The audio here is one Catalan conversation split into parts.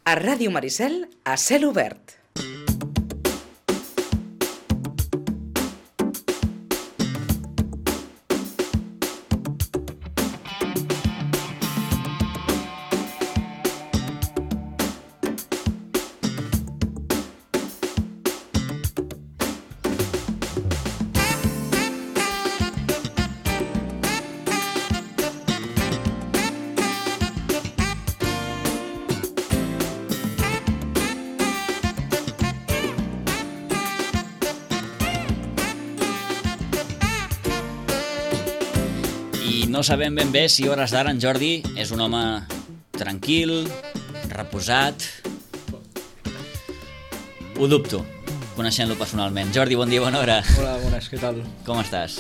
A Ràdio Maricel, a cel obert. No sabem ben bé si a hores d'ara en Jordi és un home tranquil, reposat. Ho dubto, coneixent-lo personalment. Jordi, bon dia, bona hora. Hola, bones, què tal? Com estàs?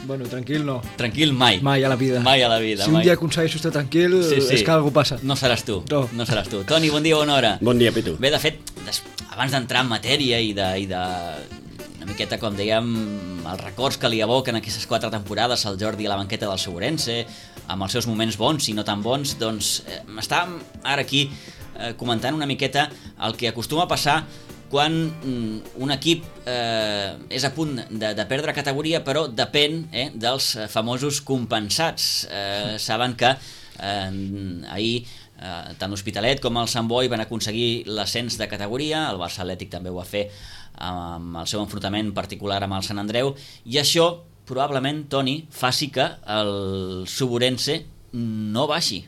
Bueno, tranquil no. Tranquil mai. Mai a la vida. Mai a la vida. Si un dia aconsegueixo estar tranquil, és que alguna passa. No seràs tu. No seràs tu. Toni, bon dia, bona hora. Bon dia, Pitu. Bé, de fet, abans d'entrar en matèria i de una miqueta, com dèiem, els records que li evoquen aquestes 4 temporades al Jordi a la banqueta del Segurense, amb els seus moments bons i no tan bons, doncs estàvem ara aquí comentant una miqueta el que acostuma a passar quan un equip és a punt de perdre categoria, però depèn dels famosos compensats. Saben que ahir tant l'Hospitalet com el Sant Boi van aconseguir l'ascens de categoria, el Barça Atlètic també ho va fer amb el seu enfrontament particular amb el Sant Andreu, i això probablement, Toni, faci que el Suburense no baixi.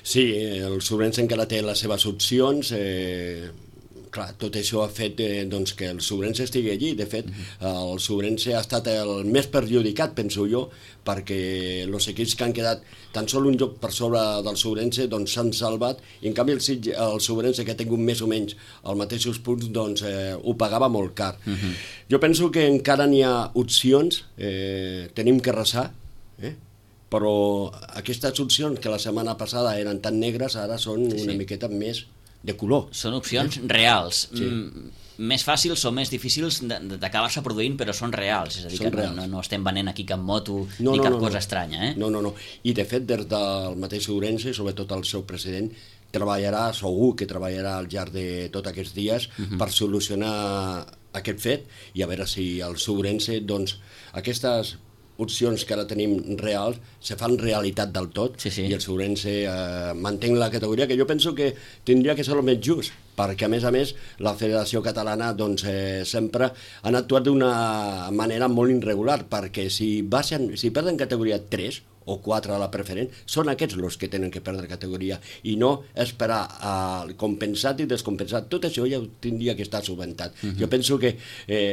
Sí, el Suburense encara té les seves opcions. Clar, tot això ha fet que el Suburense estigui allí. De fet, el Suburense ha estat el més perjudicat, penso jo, perquè els equips que han quedat tan sol un lloc per sobre del Suburense s'han salvat, i en canvi el Suburense, que ha tingut més o menys els mateixos punts, ho pagava molt car. Jo penso que encara n'hi ha opcions, tenim que resar, però aquestes opcions que la setmana passada eren tan negres ara són una miqueta més de color. Són opcions reals. Sí. Més fàcils o més difícils d'acabar-se produint, però són reals. És a dir, que no estem venent aquí cap moto ni cap cosa estranya. No. I de fet, des del mateix Ourense, sobretot el seu president, treballarà, segur que treballarà al llarg de tots aquests dies per solucionar aquest fet, i a veure si el Ourense, aquestes opcions que ara tenim reals se fan realitat del tot, i el Ourense manté la categoria, que jo penso que tindria que ser el més just, perquè a més la Federació Catalana sempre han actuat d'una manera molt irregular, perquè si perden categoria 3 o 4 a la preferent, són aquests els que tenen que perdre categoria, i no esperar al compensat i descompensat. Tot això ja tindria que estar subventat. Jo penso que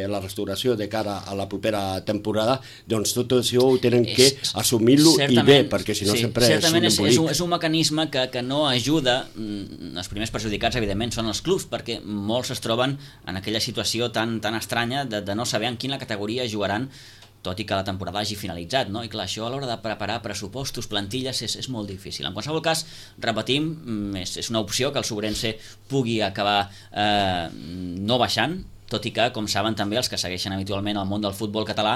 la restauració de cara a la propera temporada, tot això ho tenen que assumir-lo i bé, perquè si no sempre és un embolic. És un mecanisme que no ajuda. Els primers perjudicats, evidentment, són els clubs, perquè molts es troben en aquella situació tan estranya de no saber en quina categoria jugaran, tot i que la temporada hagi finalitzat, no? I clar, això a l'hora de preparar pressupostos, plantilles, és molt difícil. En qualsevol cas, repetim, és una opció que el Suburense pugui acabar no baixant, tot i que, com saben també els que segueixen habitualment el món del futbol català,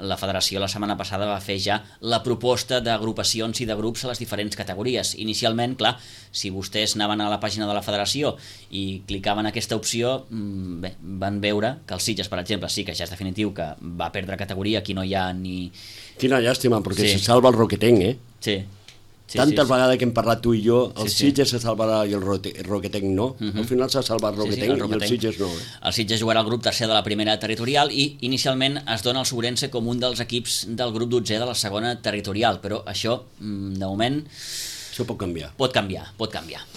la federació la setmana passada va fer ja la proposta d'agrupacions i de grups a les diferents categories. Inicialment, clar, si vostès anaven a la pàgina de la federació i clicaven aquesta opció, van veure que el Sitges, per exemple, sí que ja és definitiu que va perdre categoria, aquí no hi ha ni... Quina llàstima, perquè se salva el Roquetenc, Sí. Tantes vegades que hem parlat tu i jo, el Sitges se salvarà i el Roquetenc no. Al final s'ha salvat el Roquetenc i el Sitges no. El Sitges jugarà al grup tercer de la primera territorial i inicialment es dona el Suburense com un dels equips del grup 12è de la segona territorial, però això, de moment... Això pot canviar. Pot canviar.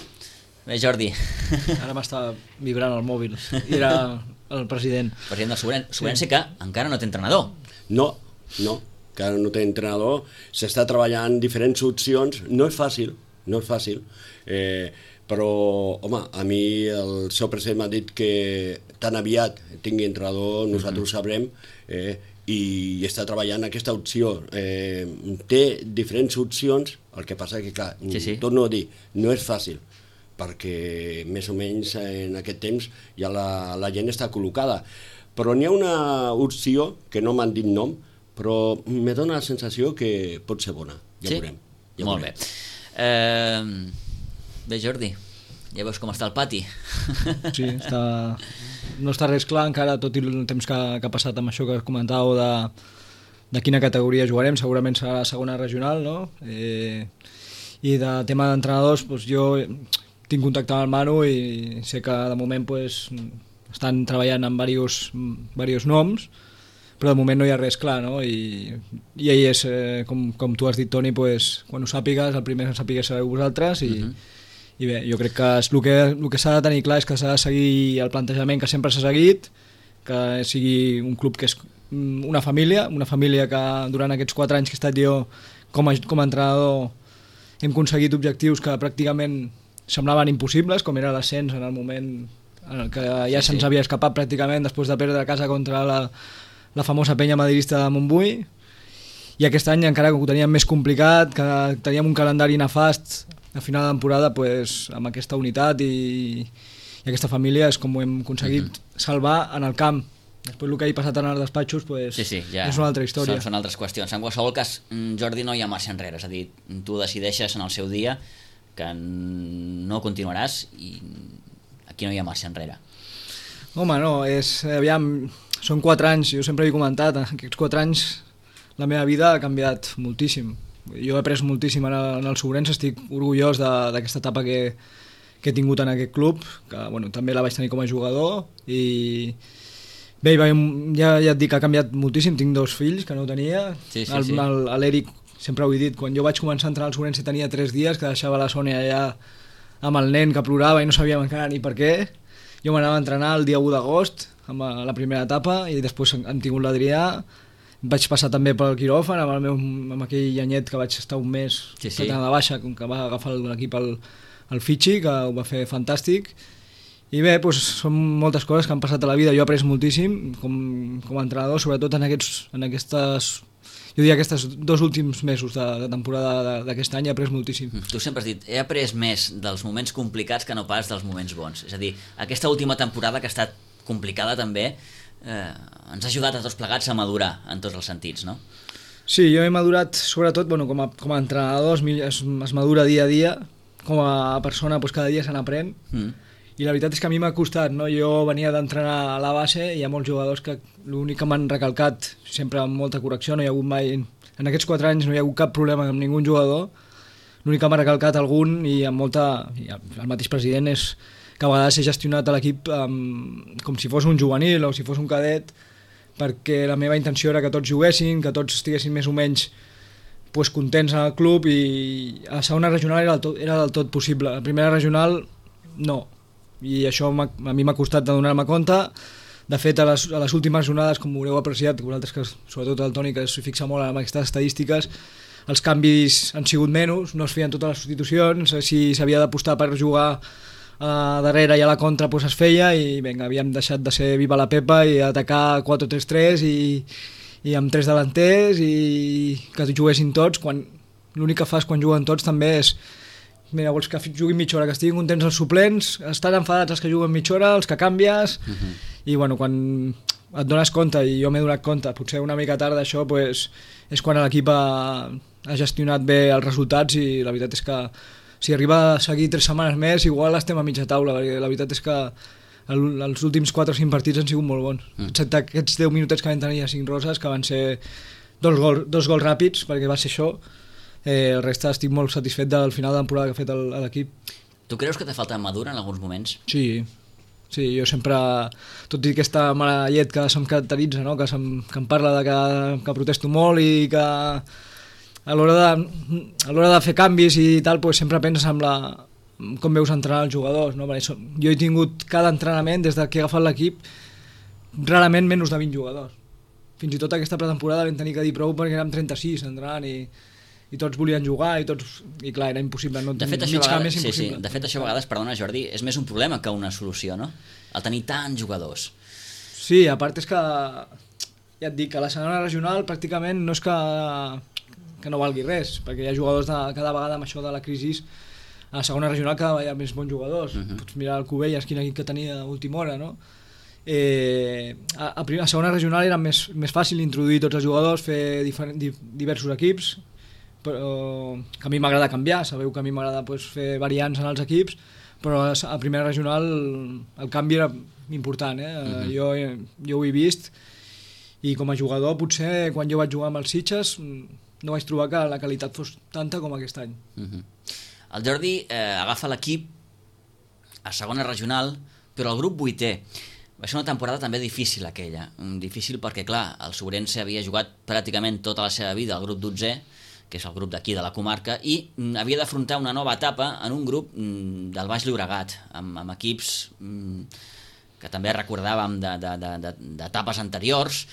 Bé, Jordi. Ara m'està vibrant el mòbil. Era el president. President del Suburense, que encara no té entrenador. No. Que ara no té entrenador, s'està treballant diferents opcions, no és fàcil, però, home, a mi el seu president m'ha dit que tan aviat tingui entrenador, nosaltres ho sabrem, i està treballant aquesta opció. Té diferents opcions, el que passa que, clar, torno a dir, no és fàcil, perquè més o menys en aquest temps ja la gent està col·locada, però n'hi ha una opció que no m'han dit nom, però me dona la sensació que pot ser bona. Ja veurem. Molt bé. Bé, Jordi, Ja veus com està el pati. Sí, no està res clar encara, tot i el temps que ha passat amb això que comentàveu de quina categoria jugarem, segurament serà la segona regional, no? I de tema d'entrenadors, doncs jo tinc contacte amb el Manu i sé que de moment estan treballant amb diversos noms, però de moment no hi ha res clar, no? I ell és, com tu has dit, Toni, quan ho sàpigues, el primer que sàpigues sereu vosaltres i bé, jo crec que el que s'ha de tenir clar és que s'ha de seguir el plantejament que sempre s'ha seguit, que sigui un club que és una família que durant aquests 4 anys que he estat jo com a entrenador hem aconseguit objectius que pràcticament semblaven impossibles, com era l'ascens en el moment en el que ja se'ns havia escapat pràcticament després de perdre a casa contra la famosa penya madridista de Montbui, i aquest any encara que ho teníem més complicat, que teníem un calendari nefast a final de temporada, amb aquesta unitat i aquesta família és com ho hem aconseguit salvar en el camp. Després el que ha passat en els despatxos ja és una altra història. Són altres qüestions. En qualsevol cas, Jordi, no hi ha marxa enrere, és a dir, tu decideixes en el seu dia que no continuaràs i aquí no hi ha marxa enrere. Home, no, són 4 anys, jo sempre he comentat, en aquests 4 anys la meva vida ha canviat moltíssim. Jo he après moltíssim en el Sobrense, estic orgullós d'aquesta etapa que he tingut en aquest club, que també la vaig tenir com a jugador i bé, ja et dic que ha canviat moltíssim, tinc 2 fills que no tenia, l'Eric, sempre ho he dit, quan jo vaig començar a entrenar al Sobrense tenia 3 dies, que deixava la Sònia allà amb el nen que plorava i no sabíem encara ni per què, jo m'anava a entrenar el dia 1 d'agost amb la primera etapa i després hem tingut l'Adrià. Vaig passar també pel quiròfan amb aquell anyet que vaig estar un mes a la baixa, que va agafar l'equip el Fitxi, que ho va fer fantàstic. I bé, són moltes coses que han passat a la vida. Jo he après moltíssim com a entrenador, sobretot en aquests 2 últims mesos de temporada d'aquest any he après moltíssim. Tu sempre has dit, he après més dels moments complicats que no pas dels moments bons. És a dir, aquesta última temporada que ha estat complicada també, ens ha ajudat a tots plegats a madurar en tots els sentits, no? Sí, jo he madurat sobretot com a entrenador, es madura dia a dia, com a persona cada dia se n'aprèn i la veritat és que a mi m'ha costat, no? Jo venia d'entrenar a la base i hi ha molts jugadors que l'únic que m'han recalcat, sempre amb molta correcció, no hi ha hagut mai, en aquests 4 anys no hi ha hagut cap problema amb ningú jugador, l'únic que m'ha recalcat algun i amb el mateix president és que a vegades he gestionat l'equip com si fos un juvenil o si fos un cadet, perquè la meva intenció era que tots juguessin, que tots estiguessin més o menys contents en el club, i a la segona regional era del tot possible. A la primera regional no, i això a mi m'ha costat de donar-me compte. De fet, a les últimes jornades, com haureu apreciat, vosaltres, que sobretot el Toni, que s'hi fixa molt en aquestes estadístiques, els canvis han sigut menys, no es feien totes les substitucions, si s'havia d'apostar per jugar darrere i a la contra es feia, i vinga, havíem deixat de ser viva la Pepa i atacar 4-3-3 i amb 3 delanters i que juguessin tots, quan l'únic que fas quan juguen tots també és mira, vols que juguin mitja hora, que estiguin contents els suplents, estan enfadats els que juguen mitja hora, els que canvies, i quan et dones compte, i jo m'he donat compte, potser una mica tard d'això, és quan l'equip ha gestionat bé els resultats, i la veritat és que si arriba a seguir 3 setmanes més, igual estem a mitja taula, perquè la veritat és que els últims 4 o 5 partits han sigut molt bons. Excepte aquests 10 minutets que vam tenir a 5 Roses, que van ser 2 gols ràpids, perquè va ser això. El reste estic molt satisfet del final de temporada que ha fet l'equip. Tu creus que t'ha faltat madura en alguns moments? Sí, jo sempre, tot i aquesta mala llet que se'm caracteritza, no? que em parla de que protesto molt i que a l'hora de fer canvis i tal, sempre penses en com veus entrenar els jugadors, no? Jo he tingut cada entrenament des que he agafat l'equip rarament menys de 20 jugadors. Fins i tot aquesta pretemporada vam tenir que dir prou perquè érem 36 entrenant i tots volien jugar i clar, era impossible, no? De fet, això a vegades, perdona Jordi, és més un problema que una solució, no? El tenir tants jugadors. Sí, a part és que ja et dic que la segona regional pràcticament no és que no valgui res, perquè hi ha jugadors cada vegada amb això de la crisi, a la segona regional cada vegada hi ha més bons jugadors. Pots mirar el Cubelles, quin equip que tenia a última hora, no? A segona regional era més fàcil introduir tots els jugadors, fer diversos equips, però que a mi m'agrada canviar, sabeu que a mi m'agrada fer variants en els equips, però a primera regional el canvi era important, jo ho he vist, i com a jugador potser quan jo vaig jugar amb els Sitges no vaig trobar que la qualitat fos tanta com aquest any. El Jordi agafa l'equip a segona regional, però el grup 8è. Va ser una temporada també difícil aquella, difícil perquè clar, el Sobrense havia jugat pràcticament tota la seva vida al grup 12è, que és el grup d'aquí de la comarca, i havia d'afrontar una nova etapa en un grup del Baix Llobregat, amb equips que també recordàvem d'etapes anteriors,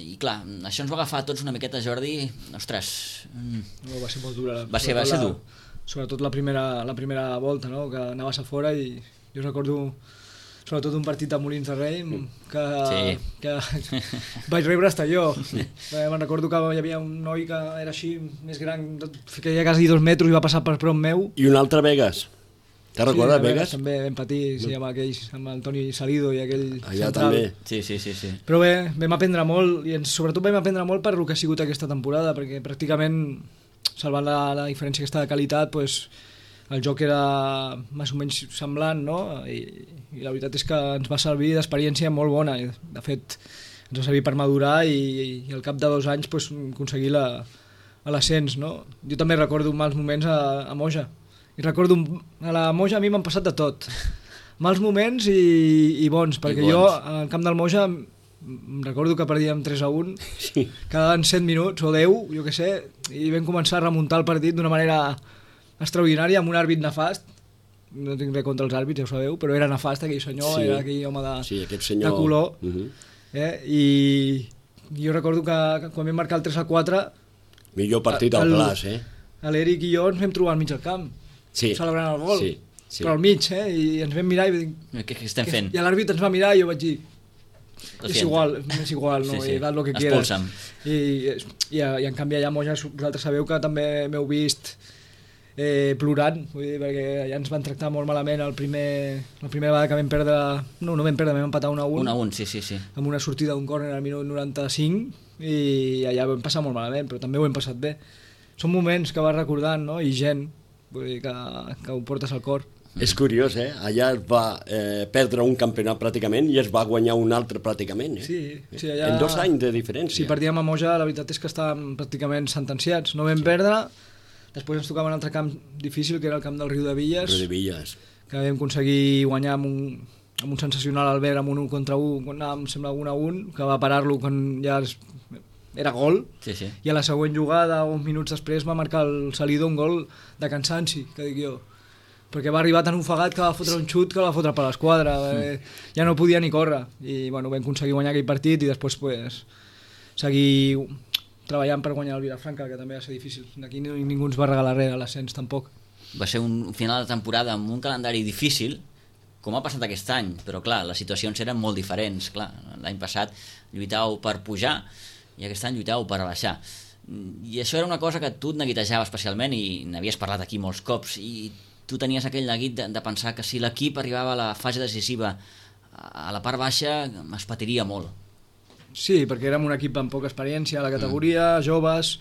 i clar, això ens va agafar a tots una miqueta, Jordi, ostres... No, va ser molt dura. Va ser dur. Sobretot la primera volta, no? Que anaves a fora i jo recordo sobretot un partit a Molins de Rei que vaig rebre hasta jo. Me'n recordo que hi havia un noi que era així més gran, que hi ha quasi 2 metres i va passar per prop meu. I un altre Vegas. Te recordes, Vegas? També vam patir, amb aquells, amb el Toni Salido i aquell allà central. També. Sí. Però bé, vam aprendre molt, i sobretot vam aprendre molt per el que ha sigut aquesta temporada, perquè pràcticament, salvant la diferència aquesta de qualitat, pues, el joc era més o menys semblant, no? I la veritat és que ens va servir d'experiència molt bona. De fet, ens va servir per madurar i al cap de 2 anys pues, aconseguir l'ascens, no? Jo també recordo mals moments a Moja. I recordo, a la Moja a mi m'han passat de tot. Mals moments i bons, perquè jo al camp del Moja recordo que perdíem 3-1, sí. Quedaven 7 minuts o 10, jo què sé, i vam començar a remuntar el partit d'una manera extraordinària, amb un àrbit nefast. No tinc res contra els àrbits, ja ho sabeu, però era nefast aquell senyor, era aquell home de color. I jo recordo que quan vam marcar el 3-4 millor partit al Plas, l'Eric i jo ens vam trobar al mig del camp, celebrant el gol, però al mig, i ens vam mirar i vam dir, què estem fent? I l'àrbit ens va mirar i jo vaig dir, és igual, no? I haz lo que quieras. I en canvi allà a Moja vosaltres sabeu que també m'heu vist plorant, vull dir, perquè allà ens van tractar molt malament la primera vegada que vam perdre, no vam perdre, vam empatar 1-1, sí. Amb una sortida d'un córner al minut 95, i allà vam passar molt malament, però també ho hem passat bé. Són moments que vas recordant, no? I gent, vull dir, que ho portes al cor. És curiós, allà es va perdre un campionat pràcticament i es va guanyar un altre pràcticament. Sí, allà... En 2 anys de diferència. Si perdíem a Moja, la veritat és que estàvem pràcticament sentenciats. No vam perdre. Després ens tocava un altre camp difícil, que era el camp del Riu de Villes, que vam aconseguir guanyar amb un sensacional Albert amb un 1-1, em sembla 1-1, que va parar-lo quan ja era gol, i a la següent jugada, uns minuts després, va marcar el Salido un gol de cansanci, que dic jo, perquè va arribar tan ofegat que va fotre un xut que va fotre per l'esquadra, ja no podia ni córrer, i bueno, vam aconseguir guanyar aquell partit i després pues, seguir treballant per guanyar el Vilafranca, que també va ser difícil. Aquí ningú ens va regalar res a l'ascens, tampoc. Va ser un final de temporada amb un calendari difícil, com ha passat aquest any, però clar, les situacions eren molt diferents. Clar, l'any passat lluitàveu per pujar i aquest any lluitàveu per baixar. I això era una cosa que tu et neguitejava especialment i n'havies parlat aquí molts cops, i tu tenies aquell neguit de pensar que si l'equip arribava a la fase decisiva a la part baixa es patiria molt. Sí, perquè érem un equip amb poca experiència a la categoria, joves,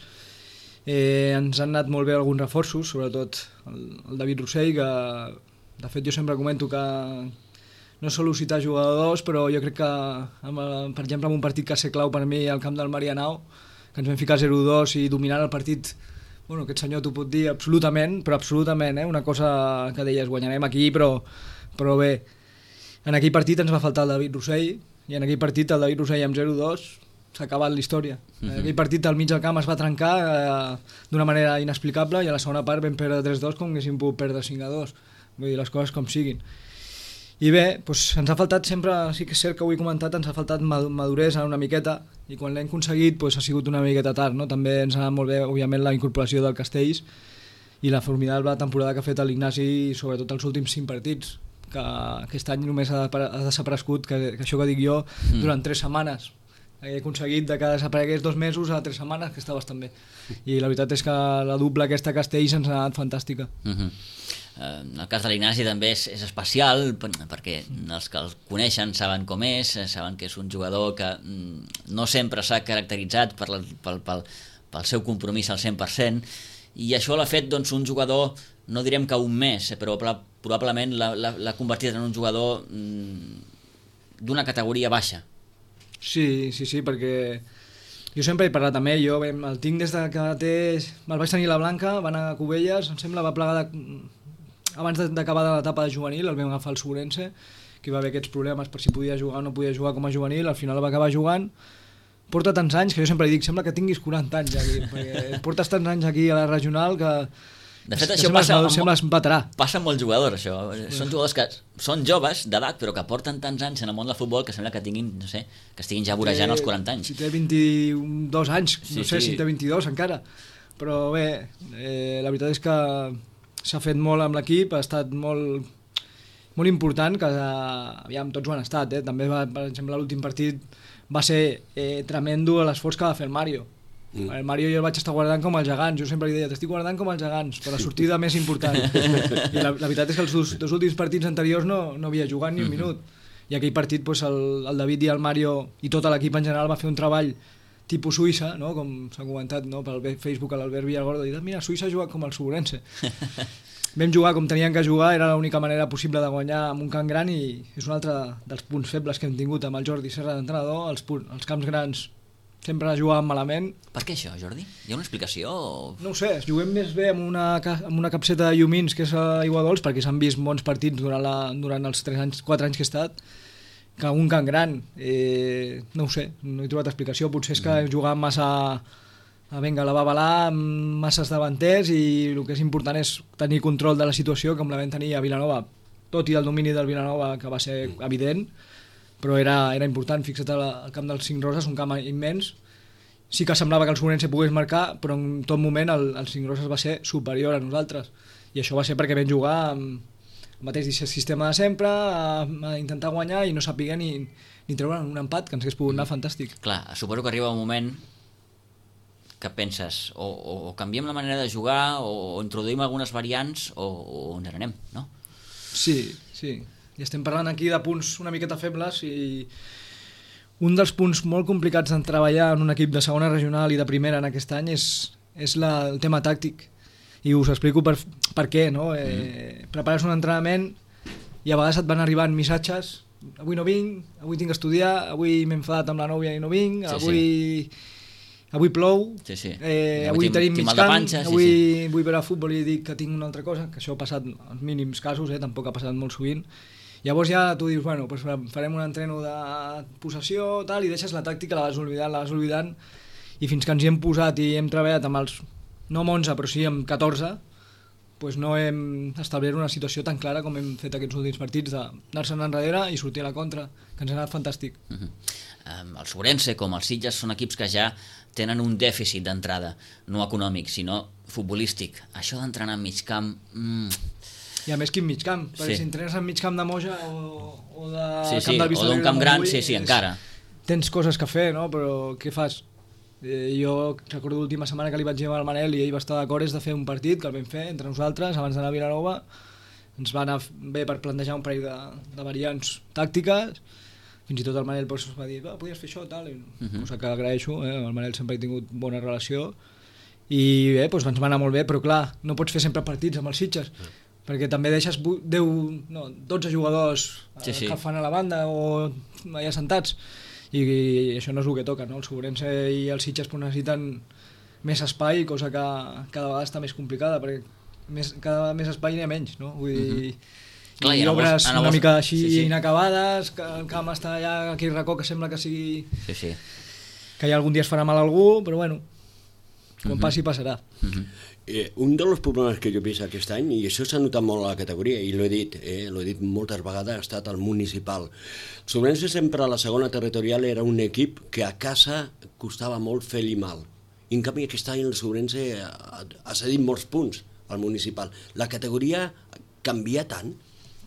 ens han anat molt bé alguns reforços, sobretot el David Rossell, que de fet jo sempre comento que no solo citar jugadors, però jo crec que, per exemple, en un partit que va ser clau per mi al camp del Marianao, que ens vam ficar 0-2 i dominant el partit, bueno, aquest senyor t'ho pot dir absolutament, una cosa que deies, guanyarem aquí, però bé, en aquell partit ens va faltar el David Rossell, i en aquell partit el David Rossell amb 0-2 s'ha acabat la història. En aquell partit al mig del camp es va trencar d'una manera inexplicable i a la segona part vam perdre 3-2 com haguéssim pogut perdre 5-2. Vull dir, les coses com siguin. I bé, doncs ens ha faltat sempre, sí que és cert que ho he comentat, ens ha faltat maduresa una miqueta, i quan l'hem aconseguit doncs ha sigut una miqueta tard, no? També ens ha anat molt bé, òbviament, la incorporació del Castells i la formidable temporada que ha fet l'Ignasi, sobretot els últims 5 partits, que aquest any només ha desaparegut, que això que dic jo, durant 3 setmanes. He aconseguit que desaparegués 2 mesos a 3 setmanes, que està bastant bé. I la veritat és que la dupla aquesta Castells ens ha anat fantàstica. En el cas de l'Ignasi també és especial, perquè els que el coneixen saben com és, saben que és un jugador que no sempre s'ha caracteritzat pel seu compromís al 100%, i això l'ha fet un jugador no direm que un mes, però probablement l'ha convertit en un jugador d'una categoria baixa. Sí, perquè jo sempre he parlat amb ell, jo el tinc des de que el vaig tenir a la Blanca, va anar a Cubelles, em sembla, va plegar abans d'acabar l'etapa de juvenil, el vam agafar al Segurense, que va haver aquests problemes per si podia jugar o no podia jugar com a juvenil, al final va acabar jugant. Porta tants anys que jo sempre dic, sembla que tinguis 40 anys aquí, perquè portes tants anys aquí a la regional que... De fet, això sembles veterà. Passa amb molts jugadors, això. Són jugadors que són joves d'edat, però que porten tants anys en el món del futbol que sembla que tinguin, no sé, que estiguin ja vorejant els 40 anys. Si té 22 anys, no sé si té 22 encara. Però bé, la veritat és que s'ha fet molt amb l'equip, ha estat molt important, que aviam, tots ho han estat, també per exemple l'últim partit va ser tremendo l'esforç que va fer el Mario. El Mario jo el vaig estar guardant com els gegants, jo sempre li deia, t'estic guardant com els gegants, per la sortida més important. I la veritat és que els dos últims partits anteriors no havia jugat ni un minut. I aquell partit el David i el Mario i tot l'equip en general va fer un treball tipus Suïssa, no? Com s'ha comentat, no? Pel Facebook a l'Albert Villargordo, i mira, Suïssa ha jugat com el Segurense. Vam jugar com tenien que jugar, era l'única manera possible de guanyar amb un camp gran, i és un altre dels punts febles que hem tingut amb el Jordi Serra d'entrenador, els camps grans sempre jugàvem malament. Per què això, Jordi? Hi ha una explicació? No ho sé, juguem més bé amb una capseta de llumins que és a Aiguadols, perquè s'han vist bons partits durant els 4 anys que he estat, que un camp gran. No ho sé, no he trobat explicació. Potser és que jugàvem massa la babalà, amb masses davanters, i el que és important és tenir control de la situació, com la vam tenir a Vilanova, tot i el domini del Vilanova, que va ser evident, però era important. Fixa't al camp dels Cinc Roses, un camp immens. Sí que semblava que el Segurense pogués marcar, però en tot moment el Cinc Roses va ser superior a nosaltres, i això va ser perquè vam jugar amb el mateix sistema de sempre, a intentar guanyar i no saber ni treure un empat, que ens hagués pogut anar fantàstic. Clar, suposo que arriba un moment que penses o canviem la manera de jugar o introduïm algunes variants o ens n'anem, no? Sí. I estem parlant aquí de punts una miqueta febles, i un dels punts molt complicats de treballar en un equip de segona regional i de primera en aquest any és el tema tàctic, i us explico per què, no? Prepares un entrenament i a vegades et van arribant missatges: avui no vinc, avui tinc que estudiar, avui m'he enfadat amb la nòvia i no vinc, avui plou, avui tenim mig camp, avui vull veure futbol i dic que tinc una altra cosa, que això ha passat en mínims casos, tampoc ha passat molt sovint. Llavors ja tu dius, bueno, pues farem un entreno de possessió, tal, i deixes la tàctica, la vas oblidant, i fins que ens hi hem posat i hem treballat amb els, no amb 11, però sí amb 14, pues no hem establert una situació tan clara com hem fet aquests últims partits, d'anar-se'n enrere i sortir a la contra, que ens ha anat fantàstic. El Segurense, com el Sitges, són equips que ja tenen un dèficit d'entrada, no econòmic, sinó futbolístic. Això d'entrenar en mig camp... I a més, quin mig camp? Perquè si entrenes en mig camp de Moja o de Camp del Vista, o d'un camp gran, encara. Tens coses que fer, no? Però què fas? Jo recordo l'última setmana que li vaig llevar al Manel i ell va estar d'acord, és de fer un partit que el vam fer entre nosaltres abans d'anar a Vilanova. Ens va anar bé per plantejar un parell de variants tàctiques. Fins i tot el Manel va dir, podies fer això, tal, cosa que agraeixo, el Manel sempre ha tingut bona relació, i bé, ens va anar molt bé, però clar, no pots fer sempre partits amb els Sitges, perquè també deixes 12 jugadors que fan a la banda o allà sentats, i això no és el que toca, no? El Segurense i els Sitges necessiten més espai, cosa que cada vegada està més complicada, perquè cada vegada més espai n'hi ha menys, no? Vull dir, clar, i obres una mica així inacabades, que el camp està allà, aquell racó que sembla que sigui... que ja algun dia es farà mal a algú, però bueno, quan passi passarà. Un dels problemes que jo he vist aquest any, i això s'ha notat molt a la categoria, i l'he dit moltes vegades, ha estat el municipal. Segurense sempre a la segona territorial era un equip que a casa costava molt fer-li mal. I en canvi aquest any el Segurense ha cedit molts punts al municipal. La categoria canvia tant?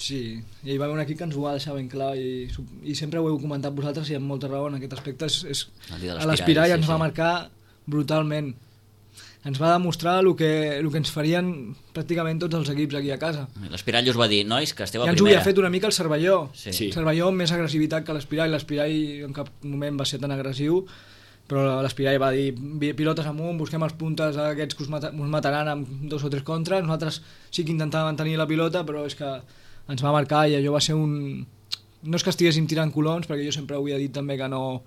Sí, i hi va haver un equip que ens ho va deixar ben clar, i sempre ho heu comentat vosaltres, i amb molta raó en aquest aspecte. A l'Espirai ens va marcar brutalment. Ens va demostrar el que ens farien pràcticament tots els equips aquí a casa. L'Espirai us va dir, nois, que esteu a primera. Ja ens ho havia fet una mica el Cervelló. Sí. Cervelló amb més agressivitat que l'Espirai. L'Espirai en cap moment va ser tan agressiu, però l'Espirall va dir pilotes amunt, busquem els puntes aquests que us mataran amb 2 o 3 contres. Nosaltres sí que intentàvem mantenir la pilota, però és que ens va marcar i allò va ser no és que estiguéssim tirant colons, perquè jo sempre havia dit també que no,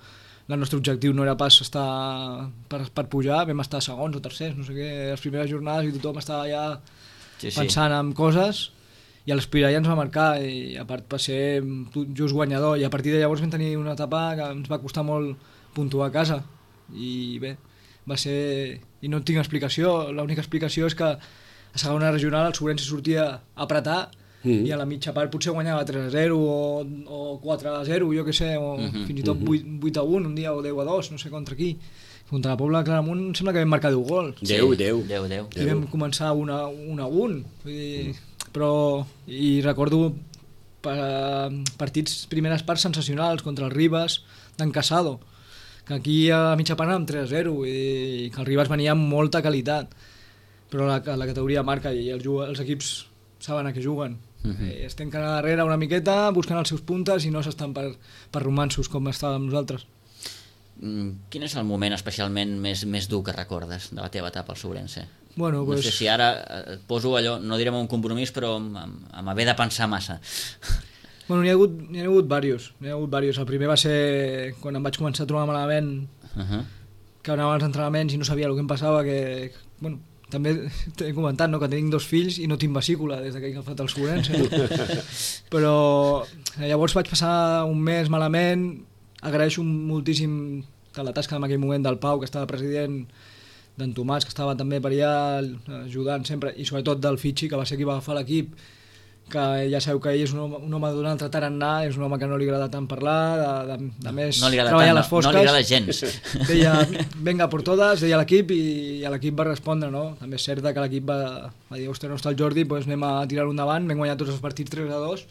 el nostre objectiu no era pas estar per pujar, vam estar segons o tercers, no sé què, les primeres jornades i tothom estava ja pensant en coses, i l'Espirall ens va marcar i a part va ser just guanyador, i a partir de llavors vam tenir una etapa que ens va costar molt puntuar a casa, i bé, va ser... i no tinc explicació, l'única explicació és que a segona regional el Sobrense sortia a apretar i a la mitja part potser guanyava 3-0 o 4-0, jo què sé, o fins i tot 8-1 un dia o 10-2, no sé contra qui. Contra la Pobla de Claramunt em sembla que vam marcar 10 gols. 10. I vam començar 1-1. Però, i recordo partits, primeres parts sensacionals contra el Ribas d'en Casado, que aquí a mitja part anàvem 3-0 i que el Ribas venia amb molta qualitat, però la categoria marca i els equips saben a què juguen. Es tanquen a darrere una miqueta, busquen els seus puntes i no s'estan per romansos com estàvem nosaltres. Quin és el moment especialment més dur que recordes de la teva etapa al Sobrense? Bueno, no sé si ara et poso allò, no direm un compromís, però amb haver de pensar massa. Bueno, n'hi ha hagut diversos. El primer va ser quan em vaig començar a trobar malament, que anava als entrenaments i no sabia el que em passava, que, bueno, també t'he comentat, no?, que tinc 2 fills i no tinc vesícula des que he agafat el Sobrense. Però llavors vaig passar un mes malament. Agraeixo moltíssim la tasca en aquell moment del Pau, que estava president, d'en Tomàs, que estava també per allà ajudant sempre, i sobretot del Fitxi, que va ser qui va agafar l'equip, que ja sabeu que ell és un home d'un altre tarannà, és un home que no li agrada tant parlar, de més treballar a les fosques. No li agrada gens. Deia, venga por todas, deia l'equip, i l'equip va respondre, no? També és cert que l'equip va dir, ostres, no està el Jordi, doncs anem a tirar-ho endavant, vam guanyar tots els partits 3-2,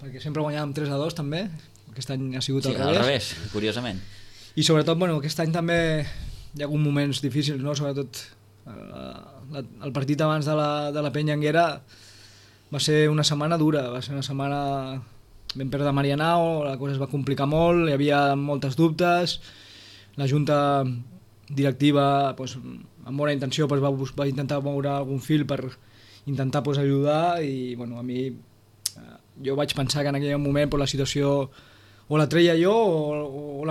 perquè sempre guanyàvem 3-2 també, aquest any ha sigut al revés, curiosament. I sobretot, bueno, aquest any també hi ha hagut moments difícils, no? Sobretot el partit abans de la Penya Anguera va ser una setmana dura, vam perdre Marianao, la cosa es va complicar molt, hi havia moltes dubtes, la junta directiva, doncs, amb bona intenció, doncs, va intentar moure algun fil per intentar ajudar, i bueno, a mi jo vaig pensar que en aquell moment la situació o la treia jo o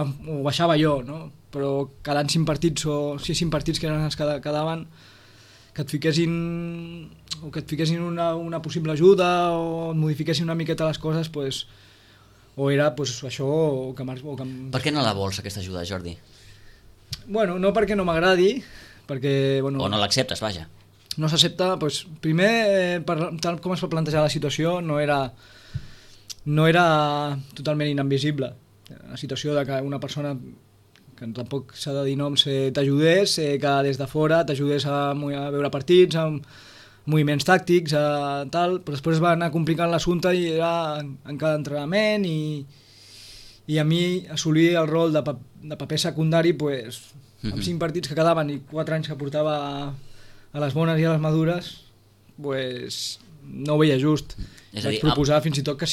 baixava jo, no? Però quedant 5 partits o 5 partits que eren els que quedaven, que et fiquessin una possible ajuda o et modifiquessin una miqueta les coses, pues, o era pues, això o que... Per què no la vols, aquesta ajuda, Jordi? Bueno, no perquè no m'agradi, perquè... Bueno, o no l'acceptes, vaja. No s'accepta, pues, primer, tal com es va plantejar la situació, no era totalment inadmissible. La situació de que una persona, que tampoc s'ha de dir noms, t'ajudés, que des de fora t'ajudés a veure partits, amb moviments tàctics, tal, però després va anar complicant l'assumpte i era en cada entrenament, i a mi assolir el rol de paper secundari, pues, amb 5 partits que quedaven i 4 anys que portava a les bones i a les madures, pues, no ho veia just. Vaig proposar fins i tot que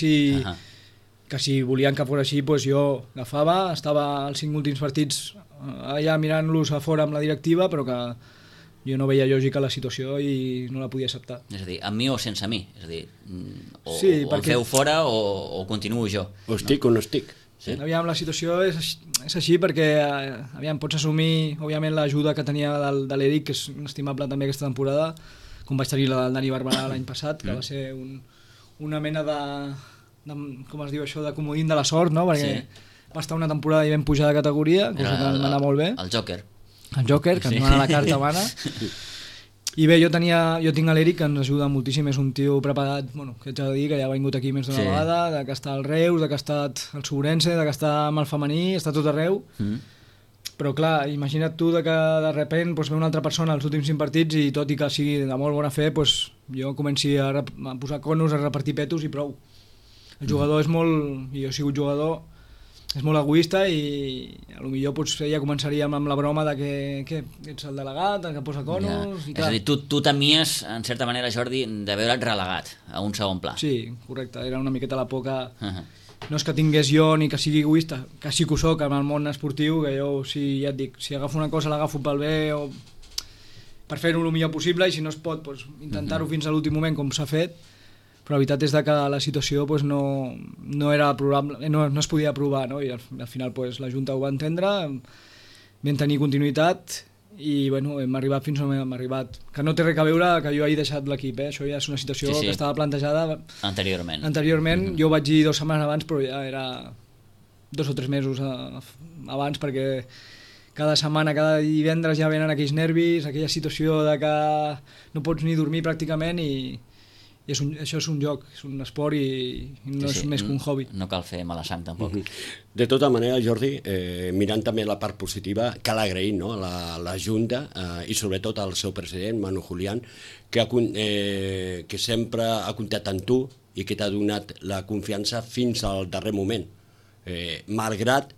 si volien que fos així, pues jo agafava, estava als 5 últims partits allà mirant-los a fora amb la directiva, però que jo no veia lògica la situació i no la podia acceptar. És a dir, amb mi o sense mi? És a dir, o el feu fora o continuo jo? O estic o no estic. Sí. Aviam, la situació és així perquè pots assumir, òbviament, l'ajuda que tenia de l'Eric, que és inestimable també aquesta temporada, com vaig tenir la del Dani Barberà l'any passat, que va ser una mena de com es diu això, de comodín de la sort, no? Perquè va estar una temporada i vam pujar de categoria, cosa que va anar molt bé. El Joker. El Joker, que ens dona la carta mana. I bé, jo tinc l'Eric, que ens ajuda moltíssim, és un tio preparat, bueno, que ets a dir, que ja ha vingut aquí més d'una vegada, que està al Reus, que ha estat al Sobrense, que està amb el femení, està tot arreu. Però clar, imagina't tu que de sobte ve una altra persona als últims 5 partits i tot i que sigui de molt bona fe, jo comenci a posar conos, a repartir petos i prou. El jugador és molt... i jo he sigut jugador, és molt egoista i potser potser ja començaríem amb la broma de que ets el delegat, el que posa conos... És a dir, tu temies, en certa manera, Jordi, de veure't relegat a un segon pla. Sí, correcte, era una miqueta la por que... No és que tingués jo ni que sigui egoista, que sí que ho soc en el món esportiu, que jo, ja et dic, si agafo una cosa l'agafo pel bé o per fer-ho el millor possible, i si no es pot, doncs, intentar-ho fins a l'últim moment com s'ha fet, però la veritat és que la situació doncs, no era probable, no es podia aprovar, no? I al final doncs, la Junta ho va entendre, vam tenir continuïtat i bueno, hem arribat fins on hem arribat, que no té res a veure que jo hagi deixat l'equip, això ja és una situació que estava plantejada anteriorment. Jo vaig dir 2 setmanes abans, però ja era 2 o 3 mesos abans, perquè cada setmana, cada divendres ja venen aquells nervis, aquella situació de que no pots ni dormir pràcticament i això és un joc, és un esport i no és més que un hobby. No cal fer mala sang tampoc. De tota manera, Jordi, mirant també la part positiva, cal agrair, no, a la Junta i sobretot al seu president, Manu Julián, que sempre ha comptat amb tu i que t'ha donat la confiança fins al darrer moment. Malgrat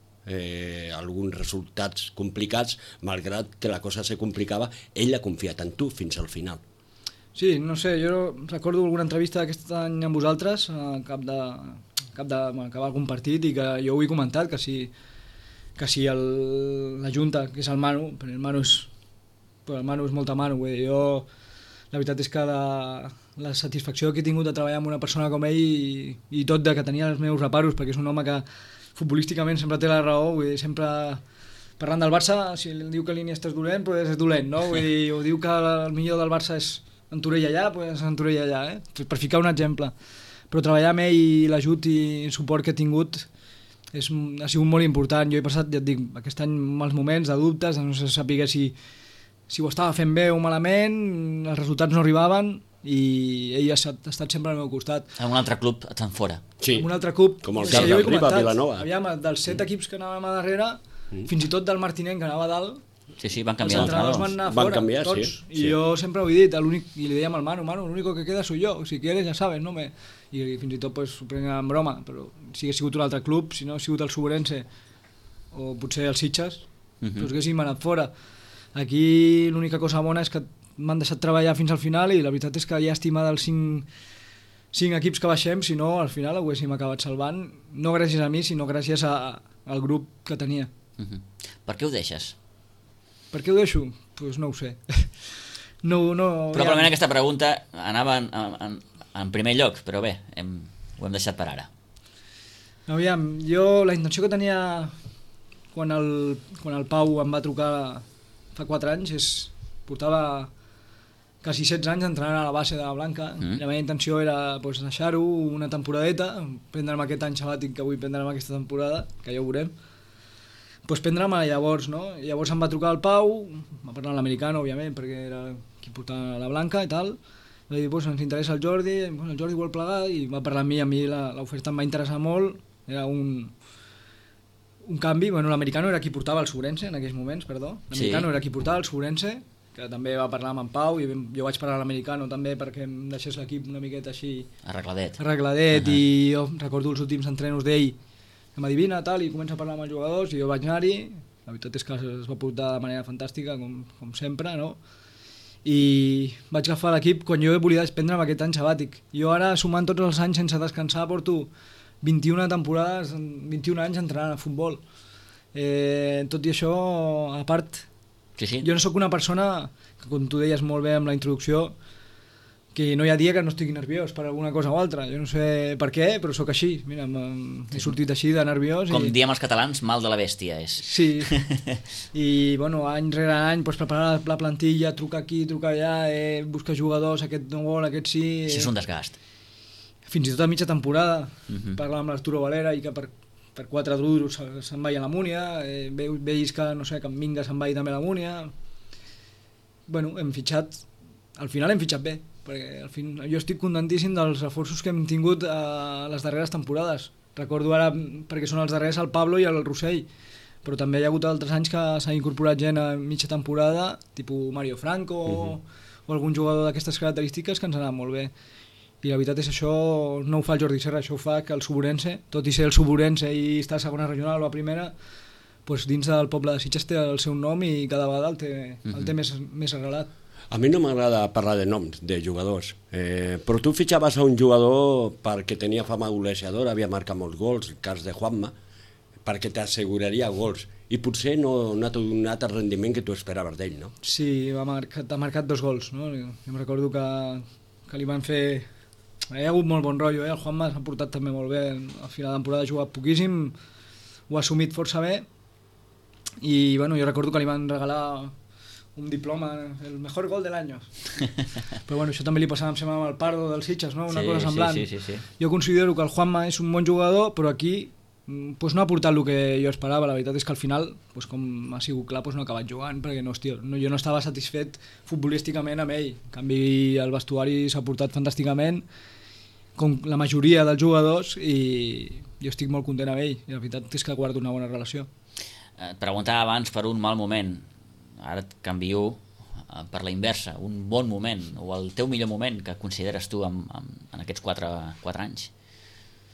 alguns resultats complicats, malgrat que la cosa se complicava, ell ha confiat en tu fins al final. Sí, no sé, jo recordo alguna entrevista d'aquest any amb vosaltres, acabar algun partit, i que jo ho he comentat, que si la Junta, que és el Manu, però el Manu és molta Manu, vull dir, jo la veritat és que la satisfacció que he tingut de treballar amb una persona com ell i tot de que tenia els meus reparos, perquè és un home que futbolísticament sempre té la raó, vull dir, sempre parlant del Barça, si diu que l'Iniesta és dolent, doncs és dolent, no? Vull dir, o diu que el millor del Barça és en Torell allà, doncs en Torell allà, per ficar un exemple. Però treballar amb ell i l'ajut i el suport que he tingut ha sigut molt important. Jo he passat, ja et dic, aquest any mals moments de dubtes, de no saber si ho estava fent bé o malament, els resultats no arribaven i ell ha estat sempre al meu costat. En un altre club et fan fora. Sí, un altre club, com el Camp del Riba, Vilanova. Aviam, dels 7 equips que anàvem a darrere, fins i tot del Martinenc que anava a dalt, Sí, van canviar els entrenadors van anar fora, canviar, tots, sí. I jo sempre ho he dit, i li dèiem al Manu, l'único que queda soy yo, si quieres ja sabes, no me... I fins i tot pues, ho prenc en broma, però si hagués sigut un altre club, si no hagués sigut el Suburense o potser el Sitges, doncs haguéssim anat fora. Aquí l'única cosa bona és que m'han deixat treballar fins al final i la veritat és que llàstima dels 5 equips que baixem, si no al final ho haguéssim acabat salvant, no gràcies a mi, sinó gràcies al grup que tenia. Per què ho deixes? Per què ho deixo? Doncs no ho sé. Probablement aquesta pregunta anava en primer lloc, però bé, ho hem deixat per ara. Aviam, jo la intenció que tenia quan el Pau em va trucar fa 4 anys portava quasi 16 anys entrenant a la base de la Blanca. La meva intenció era deixar-ho una temporadeta, prendre'm aquest any sabàtic que vull prendre'm aquesta temporada, que ja ho veurem, prendre'm llavors, no? Llavors em va trucar el Pau, va parlar amb l'americano, òbviament, perquè era qui portava la Blanca i tal, va dir, ens interessa el Jordi vol plegar, i va parlar amb mi l'oferta em va interessar molt, era un canvi, l'americano era qui portava el Suburense en aquells moments, l'americano era qui portava el Suburense, que també va parlar amb en Pau, i jo vaig parlar a l'americano també perquè em deixés l'equip una miqueta així arregladet, i jo recordo els últims entrenos d'ell, que m'adivina tal, i comença a parlar amb els jugadors i jo vaig anar-hi, la veritat és que es va portar de manera fantàstica com sempre, no? I vaig agafar l'equip quan jo volia prendre'm aquest any sabàtic. Jo ara, sumant tots els anys sense descansar, porto 21 temporades, 21 anys entrenant a futbol. Tot i això, a part, jo no sóc una persona que, com tu deies molt bé amb la introducció, que no hi ha dia que no estigui nerviós per alguna cosa o altra. Jo no sé per què, però sóc així. Mira, he sortit així de nerviós. Com diem els catalans, mal de la bèstia és. Sí. I, any rere any, preparar la plantilla, trucar aquí, trucar allà, buscar jugadors, aquest no vol, aquest sí... Això és un desgast. Fins i tot a mitja temporada. Parlar amb l'Arturo Valera i que per 4 duros se'n vagi a la Múnia. Veus que, no sé, que en Minga se'n vagi també a la Múnia. Hem fitxat... Al final hem fitxat bé, perquè jo estic contentíssim dels reforços que hem tingut a les darreres temporades. Recordo ara, perquè són els darrers, el Pablo i el Rossell, però també hi ha hagut altres anys que s'ha incorporat gent a mitja temporada, tipus Mario Franco o algun jugador d'aquestes característiques que ens ha anat molt bé. I la veritat és això no ho fa el Jordi Serra, això ho fa que el Suburense, tot i ser el Suburense i estar a segona regional o a primera, doncs dins del poble de Sitges té el seu nom i cada vegada el té més arrelat. A mi no m'agrada parlar de noms, de jugadors, però tu fitxaves a un jugador perquè tenia fama golejadora, havia marcat molts gols, el cas de Juanma, perquè t'asseguraria gols, i potser no ha donat el rendiment que tu esperaves d'ell, no? Sí, ha marcat 2 gols, no? Jo em recordo que li van fer... Hi ha hagut molt bon rotllo, el Juanma s'ha portat també molt bé, al final de temporada ha jugat poquíssim, ho ha assumit força bé, i bueno, jo recordo que li van regalar un diploma, el mejor gol de l'any. Però bueno, això també li passava amb el Pardo del Sitges, no? Una cosa semblant. Sí. Jo considero que el Juanma és un bon jugador, però aquí pues no ha portat el que jo esperava. La veritat és que al final, pues com ha sigut clar, pues no ha acabat jugant, perquè jo no estava satisfet futbolísticament amb ell. En canvi, el vestuari s'ha portat fantàsticament, com la majoria dels jugadors, i jo estic molt content amb ell. I la veritat és que guardo una bona relació. Et preguntava abans per un mal moment, ara et canvio per la inversa, un bon moment, o el teu millor moment que consideres tu en aquests 4 anys.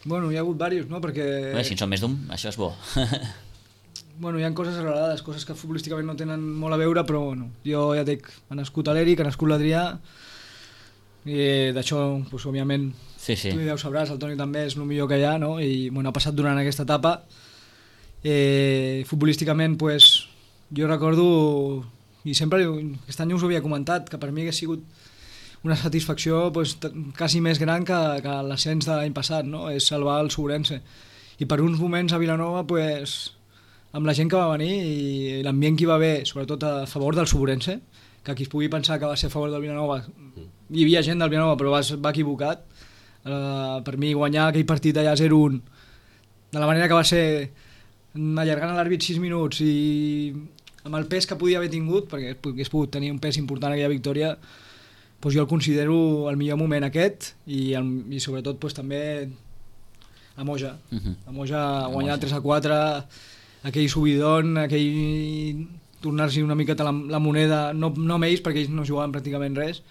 Bueno, hi ha hagut diversos, no? Perquè... Bé, si en són més d'un, això és bo. Bueno, hi ha coses arrelades, coses que futbolísticament no tenen molt a veure, però bueno, jo ja dic, ha nascut a l'Eric, ha nascut l'Adrià, i d'això, pues, òbviament, sí. Tu ja ho sabràs, el Toni també és el millor que hi ha, no? I bueno, ha passat durant aquesta etapa. Futbolísticament, pues, jo recordo, i sempre aquest any us ho havia comentat, que per mi hagués sigut una satisfacció pues, quasi més gran que l'ascens de l'any passat, no? És salvar el Suburense. I per uns moments a Vilanova, pues, amb la gent que va venir i l'ambient que hi va haver, sobretot a favor del Suburense, que qui es pugui pensar que va ser a favor del Vilanova, hi havia gent del Vilanova però va equivocat. Per mi guanyar aquell partit allà 0-1 de la manera que va ser, allargant l'àrbit 6 minuts i amb el pes que podia haver tingut, perquè hagués pogut tenir un pes important aquella victòria, doncs jo el considero el millor moment aquest i sobretot doncs, també a Moja. A Moja guanyar 3-4, aquell subidon, aquell tornar-s'hi una miqueta la moneda, no amb ells perquè ells no jugaven pràcticament res,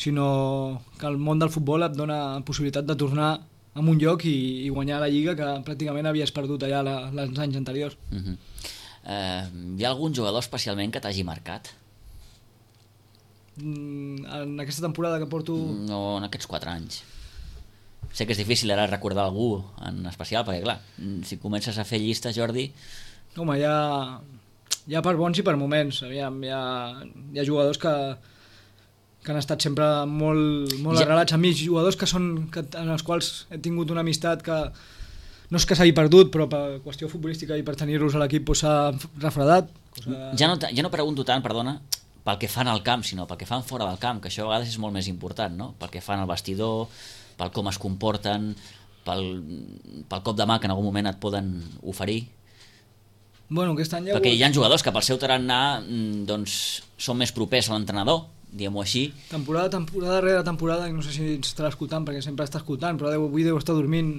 sinó que el món del futbol et dona possibilitat de tornar a un lloc i guanyar la Lliga que pràcticament havies perdut allà els anys anteriors. Hi ha algun jugador especialment que t'hagi marcat? En aquesta temporada que porto... No, en aquests 4 anys. Sé que és difícil ara recordar algú en especial, perquè clar, si comences a fer llista, Jordi... Home, hi ha per bons i per moments. Hi ha jugadors que han estat sempre molt arrelats a mi, jugadors en els quals he tingut una amistat que no és que s'hagi perdut, però per qüestió futbolística i per tenir-los a l'equip s'ha refredat. Ja no pregunto tant, perdona, pel que fan al camp, sinó pel que fan fora del camp, que això a vegades és molt més important, no? Pel que fan al vestidor, pel com es comporten, pel cop de mà que en algun moment et poden oferir. Bueno, aquest any perquè hi ha jugadors que pel seu tarannà doncs, són més propers a l'entrenador, diguem-ho així. Temporada rere temporada, no sé si estarà escoltant, perquè sempre està escoltant, però avui deu estar dormint,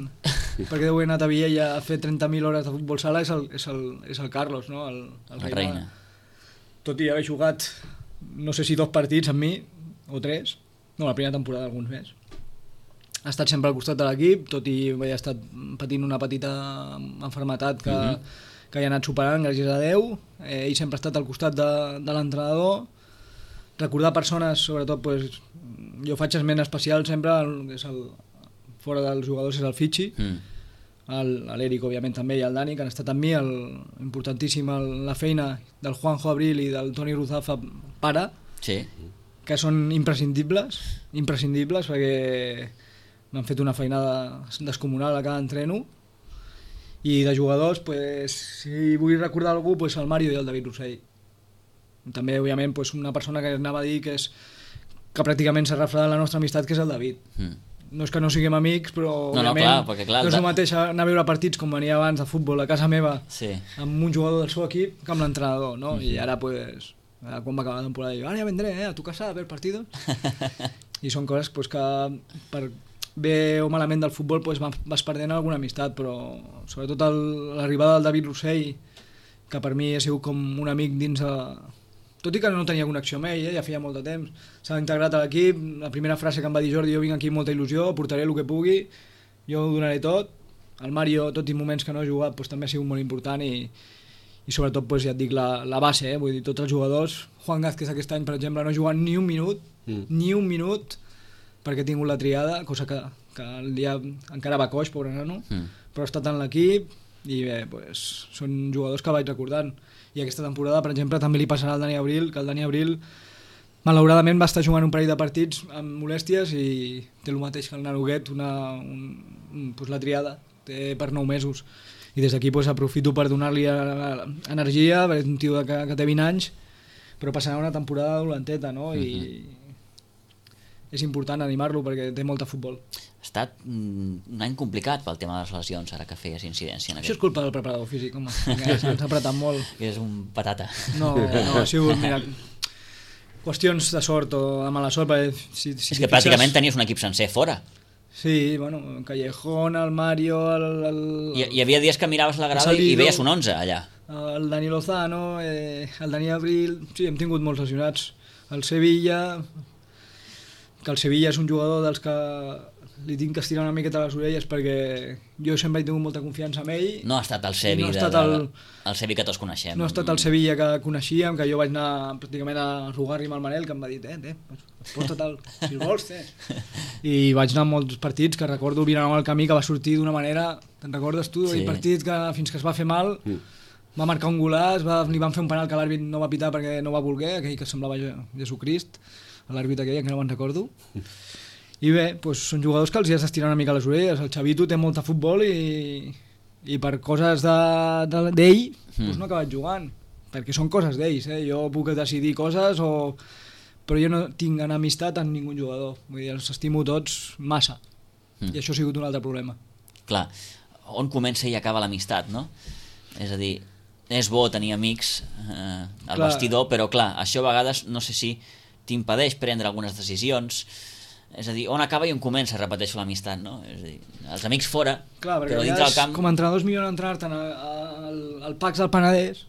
perquè deu haver anat a Viella a fer 30.000 hores de futbol sala, és el Carlos, no? El Reina. Tot i haver jugat, no sé si 2 partits amb mi, o 3, no, la primera temporada alguns més. Ha estat sempre al costat de l'equip, tot i haver estat patint una petita malaltia que hi ha anat superant, gràcies a Déu. Ell sempre ha estat al costat de l'entrenador. Recordar persones, sobretot, pues, jo faig esment especial sempre, fora dels jugadors és el Fitxi, l'Eric, òbviament, també, i el Dani, que han estat amb mi, importantíssim la feina del Juanjo Abril i del Toni Ruzafa pare, sí, que són imprescindibles, perquè m'han fet una feinada descomunal a cada entreno. I de jugadors, pues, si vull recordar algú, pues, el Mario i el David Rossell. També, òbviament, pues, una persona que anava a dir que pràcticament s'ha refredat la nostra amistat, que és el David. No és que no siguem amics, però òbviament no és el mateix anar a veure partits com venia abans de futbol a casa meva, amb un jugador del seu equip que amb l'entrenador, no? I ara, pues, quan va acabar la temporada, dic, ara ja vendré a tu casa a ver partidos. I són coses pues, que per bé o malament del futbol pues, vas perdent alguna amistat, però sobretot l'arribada del David Rossell, que per mi ha sigut com un amic dins tot i que no tenia connexió amb ell, ja feia molt de temps, s'ha integrat a l'equip, la primera frase que em va dir Jordi, jo vinc aquí amb molta il·lusió, portaré el que pugui, jo ho donaré tot, el Mario, tot i moments que no ha jugat, doncs, també ha sigut molt important i sobretot, doncs, ja et dic, la base, vull dir, tots els jugadors, Juan Gázquez aquest any, per exemple, no ha jugat ni un minut, perquè ha tingut la triada, cosa que el dia encara va coix, pobre nano, però ha estat en l'equip i bé, doncs, són jugadors que vaig recordant. I aquesta temporada, per exemple, també li passarà al Dani Abril, que el Dani Abril malauradament va estar jugant un parell de partits amb molèsties i té el mateix que el Naruguet, doncs la triada, té per 9 mesos. I des d'aquí doncs, aprofito per donar-li energia, perquè és un tio que té 20 anys, però passarà una temporada dolenteta, no? I és important animar-lo perquè té molt de futbol. Ha estat un any complicat pel tema de les lesions, ara que feies incidència en Això és culpa del preparador físic, home, que s'ha apretat molt. És un patata. No, ha sigut, mira, qüestions de sort o de mala sort, perquè és que pràcticament tenies un equip sencer fora. Sí, bueno, Callejón, el Mario, Hi havia dies que miraves la grada i veies un 11 allà. El Dani Lozano, el Dani Abril, sí, hem tingut molts lesionats. El Sevilla, que el Sevilla és un jugador dels que li tinc que estirar una miqueta les orelles perquè jo sempre he tingut molta confiança en ell. No ha estat el Sevi, el Sevi que tots coneixem. No ha estat el Sevilla que coneixíem, que jo vaig anar pràcticament a rogar-li amb el Manel, que em va dir, posta tal, si el vols, I vaig anar a molts partits que recordo el Vilanova al camí que va sortir d'una manera, te'n recordes tu? Sí. El partit que fins que es va fer mal, va marcar un golaç, li van fer un penal que l'àrbit no va pitar perquè no va voler, aquell que semblava Jesucrist, l'àrbit aquell, que no me'n recordo. I bé, doncs són jugadors que els hi has d'estirar una mica les orelles. El Xavito té molt de futbol i per coses d'ell doncs no ha acabat jugant, perquè són coses d'ells. Jo puc decidir coses, però jo no tinc amistat amb ningú jugador. Vull dir, els estimo tots massa. I això ha sigut un altre problema. Clar, on comença i acaba l'amistat, no? És a dir, és bo tenir amics al vestidor, però clar, això a vegades no sé si t'impedeix prendre algunes decisions. És a dir, on acaba i on comença, repeteixo, l'amistat, no? És a dir, els amics fora, clar, però dintre del camp... Com a entrenadors millor entrar-te'n al Pacs del Penedès,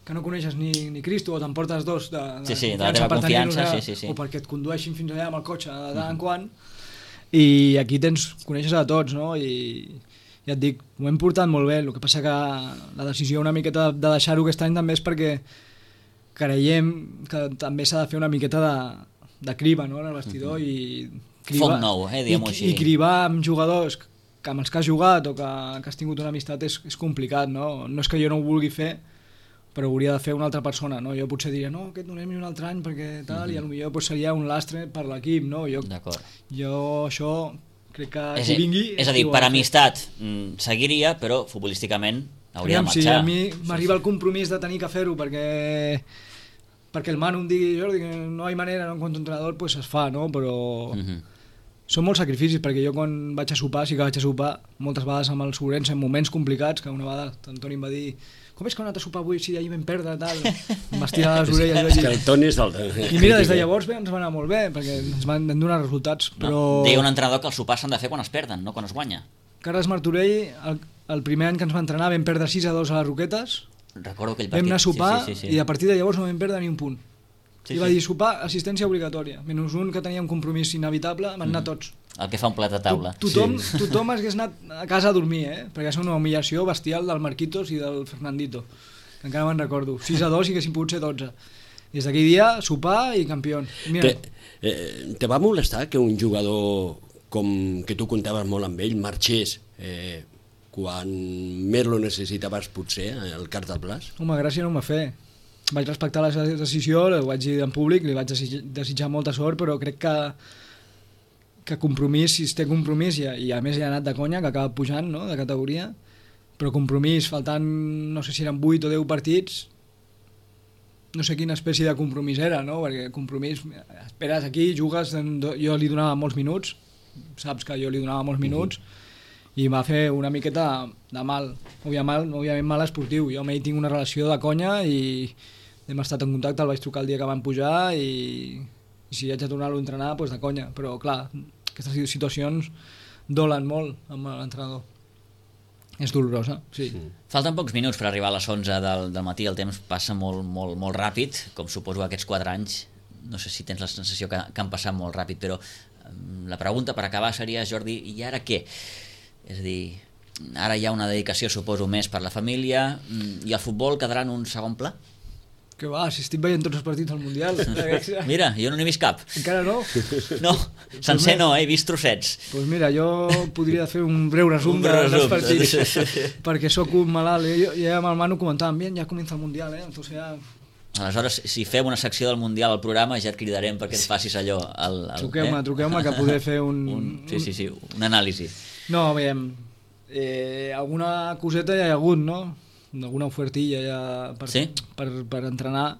que no coneixes ni Cristo, o t'emportes dos de la teva confiança, o perquè et condueixin fins allà amb el cotxe de tant en quant, i aquí coneixes a tots, no? I ja et dic, ho hem portat molt bé, el que passa que la decisió una miqueta de deixar-ho aquest any també és perquè creiem que també s'ha de fer una miqueta de criba, no?, en el vestidor, foc nou, diguem-ho així. I cribar amb jugadors amb els que has jugat o que has tingut una amistat és complicat, no? No és que jo no ho vulgui fer, però ho hauria de fer una altra persona, no? Jo potser diria, no, aquest donem-hi un altre any perquè tal, i potser pues, seria un lastre per l'equip, no? Jo això crec que si vingui... És a dir, per amistat seguiria, però futbolísticament hauria de marxar. Si a mi m'arriba el compromís de tenir que fer-ho perquè el Manu em digui, Jordi, que no hi ha manera, no, en quant a entrenador, pues es fa, no? Però són molts sacrificis, perquè jo quan vaig a sopar, sí que vaig a sopar moltes vegades amb el Sobrense en moments complicats, que una vegada l'Antoni em va dir, com és que heu anat a sopar avui si ahir vam perdre, tal, em vas tirar les orelles. És que el Toni és el... I mira, des de llavors bé, ens va anar molt bé, perquè ens van donar resultats, però... Deia un entrenador que els sopars s'han de fer quan es perden, no quan es guanya. Carles Martorell, el primer any que ens va entrenar, vam perdre 6-2 a les Roquetes, recordo aquell partit. Vam anar a sopar i a partir de llavors no vam perdre ni un punt. I va dir sopar, assistència obligatòria, menys un que tenia un compromís inevitable, van anar tots. El que fa un plat de taula. Tothom hagués anat a casa a dormir, perquè és una humillació bestial del Marquitos i del Fernandito, que encara me'n recordo. 6-2 i que si pogut ser 12. Des d'aquell dia, sopar i campió. Te va molestar que un jugador com que tu comptaves molt amb ell marxés quan més lo necessitaves potser, el Carles del Blas? Home, gràcia no m'ha fet. Vaig respectar la decisió, ho vaig dir en públic, li vaig desitjar molta sort, però crec que compromís, si es té compromís, i a més hi ha anat de conya, que acaba pujant, no?, de categoria, però compromís, faltant, no sé si eren 8 o 10 partits, no sé quina espècie de compromís era, no?, perquè compromís, esperes aquí, jugues, jo li donava molts minuts, saps que jo li donava molts minuts, i va fer una miqueta de mal, òbviament mal esportiu. Jo amb ell tinc una relació de conya i hem estat en contacte, el vaig trucar el dia que van pujar i si haig de tornar-lo a entrenar, doncs de conya, però clar, aquestes situacions dolen molt amb l'entrenador. És dolorosa, sí. Falten pocs minuts per arribar a les 11 del matí, el temps passa molt, molt, molt ràpid, com suposo aquests 4 anys. No sé si tens la sensació que han passat molt ràpid, però la pregunta per acabar seria, Jordi, i ara què? És a dir, ara hi ha una dedicació, suposo, més per la família, i el futbol quedarà en un segon pla? Que va, si estic veient tots els partits del Mundial. Mira, jo no n'he vist cap. Encara no? No, sencer no, he vist trossets. Doncs mira, jo podria fer un breu resum dels partits, perquè sóc un malalt. I amb el Manu comentàvem, bien, ja comença el Mundial, entonces ja... Aleshores, si fem una secció del Mundial al programa, ja et cridarem perquè et facis allò... Truqueu-me, que poder fer Sí, un anàlisi. No, veiem, alguna coseta ja hi ha hagut, no? Alguna ofertilla ja per entrenar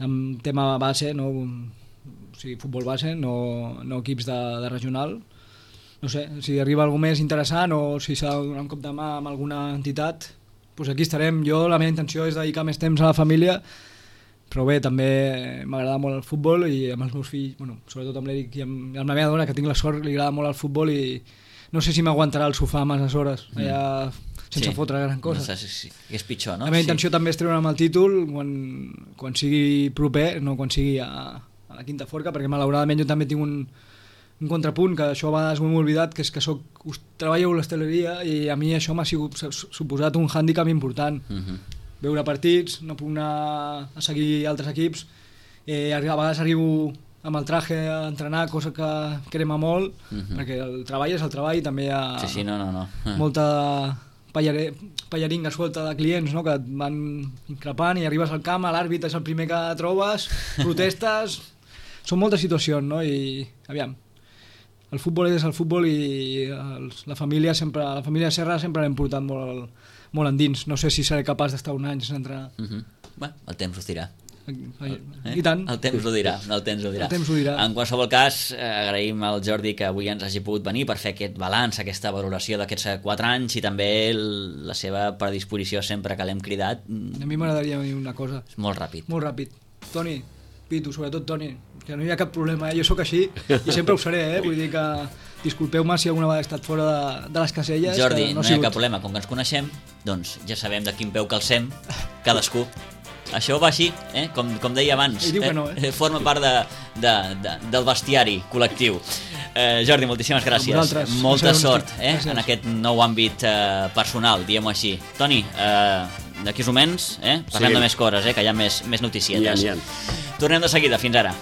amb tema base, no? O sigui, futbol base, no equips de regional. No sé, si arriba algú més interessant o si s'ha de donar un cop de mà amb alguna entitat, doncs aquí estarem. Jo, la meva intenció és dedicar més temps a la família, però bé, també m'agrada molt el futbol i amb els meus fills, bueno, sobretot amb l'Eric i amb la meva dona, que tinc la sort, li agrada molt el futbol i no sé si m'aguantarà el sofà masses hores allà sense fotre gran cosa. No sé si és pitjor, no? La meva intenció també és treure'm el títol quan sigui proper, no quan sigui a la quinta forca, perquè malauradament jo també tinc un contrapunt, que això a vegades m'ho he oblidat, que és que treballo a l'hostaleria i a mi això m'ha suposat un hàndicap important. Veure partits, no puc anar a seguir altres equips, a vegades arribo amb el traje a entrenar, cosa que crema molt, perquè el treball és el treball i també hi ha molta pallaringa suelta de clients, no? Que et van increpant i arribes al camp, l'àrbit és el primer que trobes, protestes... Són moltes situacions, no? I aviam, el futbol és el futbol i la família Serra sempre l'hem portat molt endins. No sé si seré capaç d'estar un any sense entrenar. Bé, el temps ho dirà. I tant. El temps ho dirà. En qualsevol cas, agraïm al Jordi que avui ens hagi pogut venir per fer aquest balanç, aquesta valoració d'aquests 4 anys i també la seva predisposició sempre que l'hem cridat. A mi m'agradaria dir una cosa. Molt ràpid. Molt ràpid. Toni, Pitu, sobretot Toni, que no hi ha cap problema, jo sóc així i sempre ho seré, vull dir que disculpeu-me si alguna vegada he estat fora de les caselles. Jordi, no hi ha cap problema, com que ens coneixem, doncs ja sabem de quin peu calcem cadascú. Això va així, com deia abans, forma part del bestiari col·lectiu. Jordi, moltíssimes gràcies. Molta sort en aquest nou àmbit personal, diguem-ho així. Toni, d'aquí uns moments parlem de més coses, que hi ha més noticietes. Tornem de seguida, fins ara.